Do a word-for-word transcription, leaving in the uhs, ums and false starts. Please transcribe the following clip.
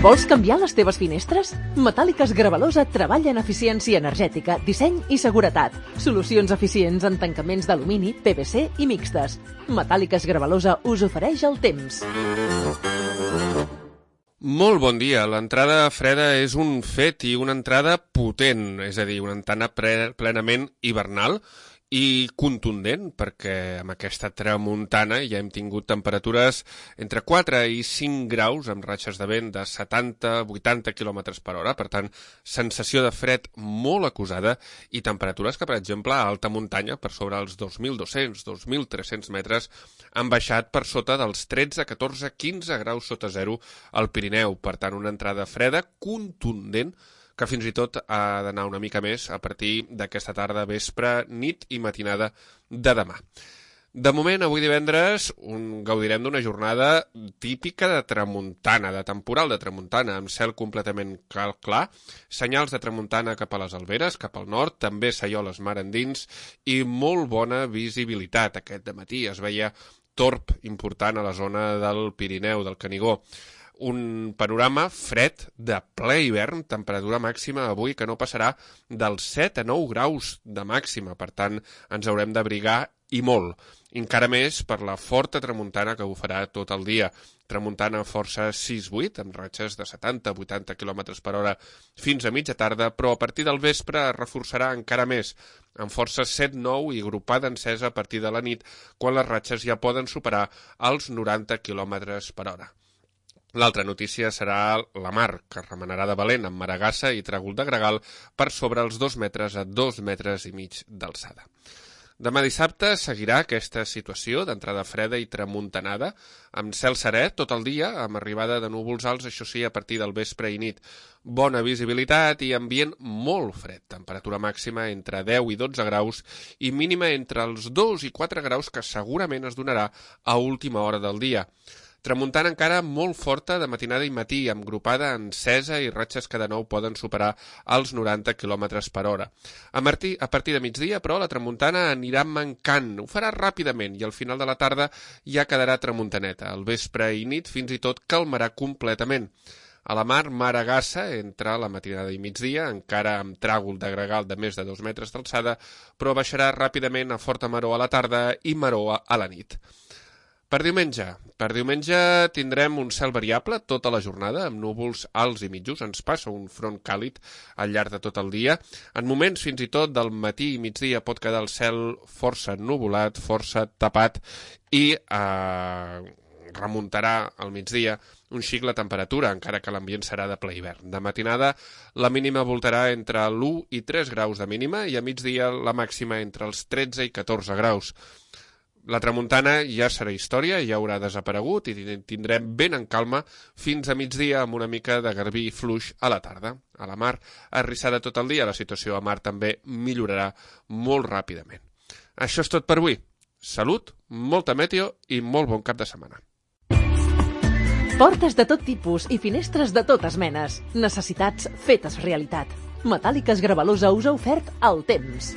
Vols canviar les teves finestres? Metàl·liques Gravalosa treballa en eficiència energètica, disseny i seguretat. Solucions eficients en tancaments d'alumini, P V C i mixtes. Metàl·liques Gravalosa us ofereix el temps. Molt bon dia. L'entrada freda és un fet i una entrada potent, és a dir, una entrada plenament hivernal i contundent, perquè amb aquesta tramuntana ja hem tingut temperatures entre quatre i cinc graus amb ratxes de vent de setanta a vuitanta quilòmetres per hora, per tant, sensació de fred molt acusada i temperatures que, per exemple, a alta muntanya, per sobre els dos mil dos-cents a dos mil tres-cents metres, han baixat per sota dels tretze, catorze, quinze graus sota zero al Pirineu. Per tant, una entrada freda, contundent, que fins i tot ha d'anar una mica més a partir d'aquesta tarda, vespre, nit i matinada de demà. De moment, avui divendres, un, gaudirem d'una jornada típica de tramuntana, de temporal de tramuntana, amb cel completament clar, senyals de tramuntana cap a les Alberes, cap al nord, també Saioles mar endins i molt bona visibilitat. Aquest dematí es veia torb important a la zona del Pirineu, del Canigó. Un panorama fred de ple hivern, temperatura màxima avui que no passarà dels set a nou graus de màxima, per tant ens haurem d'abrigar i molt, encara més per la forta tramuntana que ho farà tot el dia. Tramuntana força sis vuit, amb ratxes de setanta a vuitanta quilòmetres per hora fins a mitja tarda, però a partir del vespre es reforçarà encara més, amb força set nou i agrupada encesa a partir de la nit, quan les ratxes ja poden superar els noranta quilòmetres per hora. L'altra notícia serà la mar, que remenarà de valent amb maragassa i tràgol de gregal per sobre els dos metres a dos metres i mig d'alçada. Demà dissabte seguirà aquesta situació d'entrada freda i tramuntanada, amb cel serè tot el dia, amb arribada de núvols alts, això sí, a partir del vespre i nit. Bona visibilitat i ambient molt fred, temperatura màxima entre deu i dotze graus i mínima entre els dos i quatre graus que segurament es donarà a última hora del dia. Tramuntana encara molt forta de matinada i matí, amb grupada encesa i ratxes que de nou poden superar els noranta quilòmetres per hora. A, martí, a partir de migdia, però, la tramuntana anirà mancant. Ho farà ràpidament i al final de la tarda ja quedarà tramuntaneta. Al vespre i nit fins i tot calmarà completament. A la mar, maragassa entre la matinada i migdia, encara amb tràgol de gregal de més de dos metres d'alçada, però baixarà ràpidament a forta maror a la tarda i maror a la nit. Per diumenge. Per diumenge tindrem un cel variable tota la jornada, amb núvols alts i mitjos. Ens passa un front càlid al llarg de tot el dia. En moments fins i tot del matí i migdia pot quedar el cel força nuvolat, força tapat i eh, remuntarà al migdia un xic la temperatura, encara que l'ambient serà de ple hivern. De matinada la mínima voltarà entre l'u i tres graus de mínima i a migdia la màxima entre els tretze i catorze graus. La tramuntana ja serà història, ja haurà desaparegut i tindrem vent en calma fins a migdia amb una mica de garbí fluix a la tarda. A la mar, arrissada tot el dia, la situació a mar també millorarà molt ràpidament. Això és tot per avui. Salut, molta meteo i molt bon cap de setmana. Portes de tot tipus i finestres de totes menes. Necessitats fetes realitat. Metàl·liques Gravalosa us ha ofert el temps.